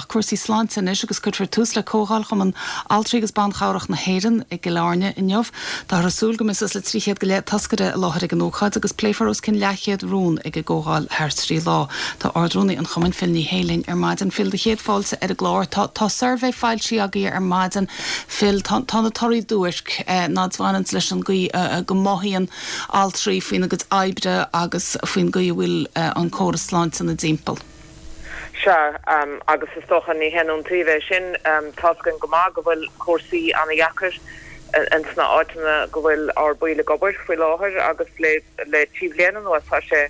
Cúrsaí sláinte anois agus cuirfear tús le Comhdháil Chumann Altraí agus Ban Chabhrach na hÉireann i gCill Airne inniu. Táthar ag súil go mbeidh suas le 300 go leith toscaire i láthair ag an ócáid agus pléifear os cionn leathchéad rún ag an gcomhdháil thar thrí lá. Tá Ard-Rúnaí an Chumainn, Phil Ní Sheaghdha linn ar maidin. Phil, do chéad fáilte ar an gclár. Tá tá suirbhé foilsithe agaibh ar maidin. Phil, tá tá na torthaí duairc, ná bhaineanns leis an gcaoi go mothaíonn altraí faoina gcuid oibre agus faoin gcaoi a bhfuil an córas sláinte ina dtimpeall. Sea, agus is dócha ní haon iontaoibh é sin. Tá's againn go maith go bhfuil cúrsaí ana-dheacair ins na áiteanna go bhfuil ár baill ag obair faoi láthair agus le trí bhliain anuas tá sé,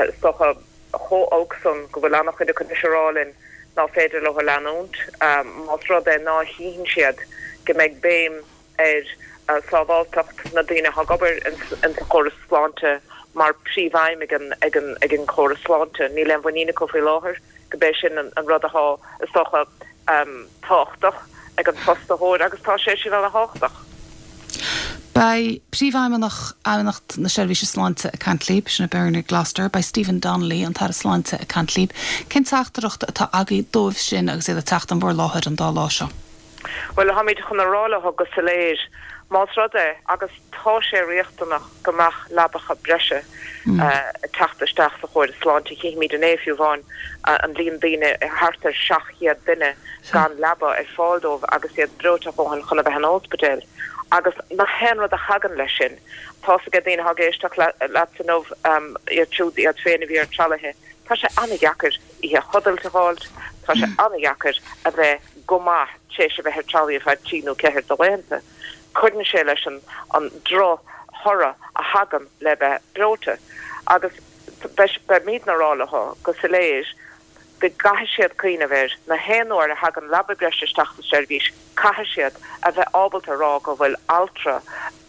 is dócha, chomh olc san go bhfuil ana-chuid acu anois ag rá linn ná féidir leo leanúint más rud é ná chífeann siad go mbeidh béim ar sábháilteacht na daoine atá ag obair insa chóras sláinte mar príomhaidhm ag an ag an chóras sláinte. Níl aon mhuinín acu faoi láthair go b'é sin an rud atá, is dócha, tábhachtach ag an fostaitheoir agus tá sé sin ana-thábhachtach. Beidh Príomhfheidhmeannach Fheidhmeannacht na Seirbhíse Sláinte ag caint libh, sin é Bernard Gloster. Beidh Stephen Donnelly, an tAire Sláinte, ag caint libh. Cén teachtaireacht atá agaibh dóibh sin agus iad ag teacht in bhur láthair an dá lá seo? Bhuel, táimid chun a rá leo go soiléir, más rud é, agus tá sé riachtanach go mbeadh leabacha breise ag teacht isteach sa chóras sláinte, chífimid inné fiú amháin an líon daoine, thart ar 700 duine gan leaba ar fáil dóibh agus iad breoite a dhóthain chun a bheith in ospidéal. Agus na haon rud a thagann leis sin, tá's ag daoine atá ag éisteacht leatsa inniu, iad siúd iad féin a bhí ar tralaithe, tá sé an-dheacair oíche chodlata a fháilt, tá sé an-dheacair a bheith go maith tar éis a bheith ar tralaí ar feadh trí nó ceathair de laethanta. Cuireann sé leis an an droch-thoradh a thagann le bheith breoite. Agus beimidne ag rá leo go soiléir go gcaithfidh siad cuimhneamh air, na haon uair a thagann leaba breise isteach sa seirbhís, caithfidh siad a bheith ábalta a rá go bhfuil altra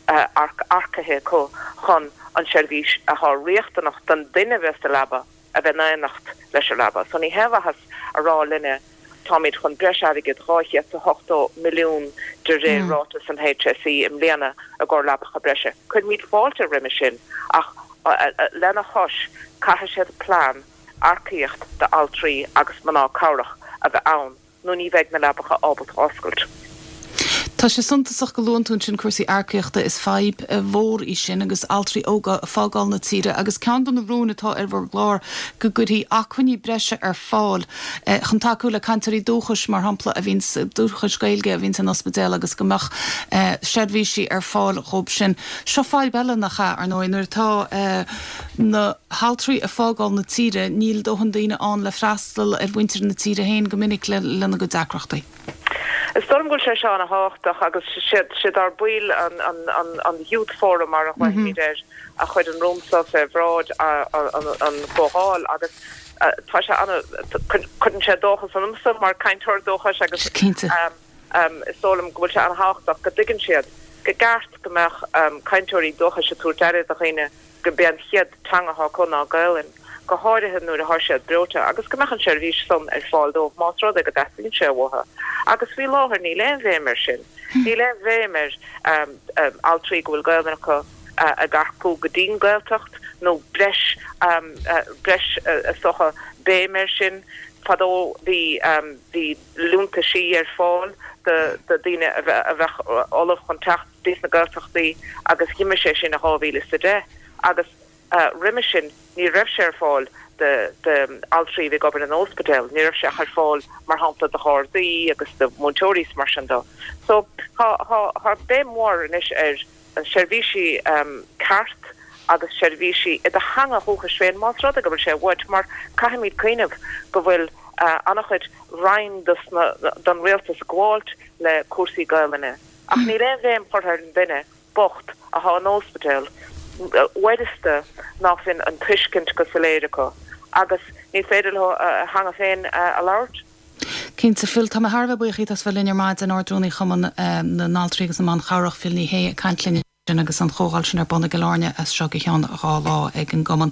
earcaithe acu chun an tseirbhís atá riachtanach don duine a bheas sa leaba a bheith in éineacht leis an leaba. So ní haon mhaitheas a rá linne táimid chun breis airgid, 280 milliún de réir ráiteas an HSE i mbliana i gcomhair leabacha breise. Cuirimid fáilte roimhe sin ach lena chois caithfidh siad plean earcaíocht d'altraí agus mná cabhrach a bheith ann. nó ní bheidh na leabacha ábalta oscailt. Tá sé suntasach go luann tú ansin cúrsaí earcaíochta. Is fadhb mhór í sin agus altraí óga ag fágáil na tíre agus ceann de na rúin atá ar bhur gclár go gcuirfí acmhainní breise ar fáil chun tacú le cainteoirí dúchais, mar shampla, a bhíonns, dúchais Gaeilge a bhíonns in ospidéal agus go mbeadh seirbhísí ar fáil dhóibh sin. Seo fadhb eile nach ea, ar ndóigh, nuair atá na haltraí ag fágáil na tíre, níl dóthain daoine ann le freastal ar mhuintir na tíre féin go minic lena gcuid deacrachtaí. Is dóigh liom go bhfuil sé seo ana-thábhachtach agus siad ár baill an Youth Forum mar a ghlaofaimid air a chuir an rún seo fé bhráid an chomhdháil agus tá sé ana, cuireann sé dóchas ionamsa mar cainteoir dúchais agus is dóigh liom go bhfuil sé ana-thábhachtach go dtuigeann siad go gceart go mbeadh cainteoirí dúchais ag tabhairt aire do dhaoine gurb é an chéad teanga atá acu ná Gaelainn, go háirithe nuair atá siad breoite, agus go mbeadh an seirbhís san ar fáil dóibh más rud é go dteastaíonn sé uathu. Agus faoi láthair níl aon bhéim air sin. Níl aon bhéim ar altraí go bhfuil Gaelainn acu ag earcú go dtí'n Gaeltacht nó breis, breis is dócha, béim air sin. Fadó bhí, bhí liúntaisí ar fáil do daoine a bheadh ullamh chun teacht. dtí sna Gaeltachtaí agus dh'imigh sé sin i 2010 agus roimhe sin ní raibh sé ar fáil d'altraí a bhí ag obair in óspidéal, ní raibh sé ach ar fáil mar shampla do ghardaí agus do mhúinteoirí is mar sin dó. So tá tá béim mhór anois ar seirbhísí ceart agus seirbhísí i do theanga dhúchais féin más rud é go bhfuil sé uait mar caithfimid cuimhneamh go bhfuil an-chuid roinn don rialtas ag gabháilt le cúrsaí Gaelainne. Ach níl aon bhéim curtha ar an duine bocht athá in óspidéal uaireanta ná fuil an tuiscint go soiléir acu agus ní féidir leo a theanga féin a labhairt. Cinnte, Phil, tá mé thar a bheith buíoch díot as bheith linn ar maidin, Ard-Rúnaí Chumann na nAltraí agus na mBan Chabhrach, Phil Ní Sheaghdha, ag caint linn ansin agus an chomhdháil sin ar bun i gCill Airne as seo go ceann 2 lá ag an gCumann.